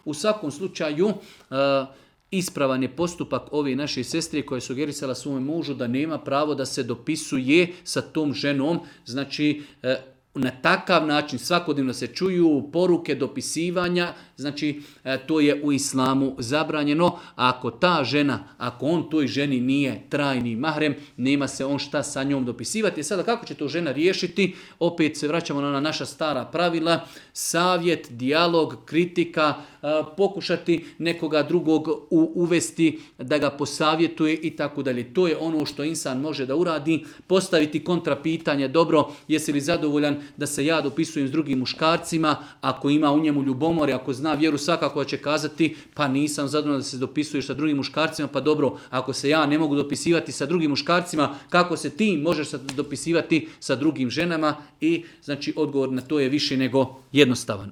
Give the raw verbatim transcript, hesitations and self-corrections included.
U svakom slučaju, uh, ispravan je postupak ove naše sestre koja je sugerisala svome mužu da nema pravo da se dopisuje sa tom ženom. Znači, uh, na takav način svakodnevno se čuju poruke dopisivanja, znači to je u islamu zabranjeno. A ako ta žena, ako on toj ženi nije trajni mahrem, nema se on šta sa njom dopisivati. Sada kako će to žena riješiti? Opet se vraćamo na ona naša stara pravila, savjet, dijalog, kritika, pokušati nekoga drugog uvesti da ga posavjetuje i tako dalje. To je ono što insan može da uradi, postaviti kontrapitanje, dobro, jesi li zadovoljan da se ja dopisujem s drugim muškarcima, ako ima u njemu ljubomore, ako zna vjeru, svakako će kazati pa nisam zadovoljan da se dopisuješ sa drugim muškarcima, pa dobro, ako se ja ne mogu dopisivati sa drugim muškarcima, kako se ti možeš dopisivati sa drugim ženama? I znači odgovor na to je više nego jednostavan.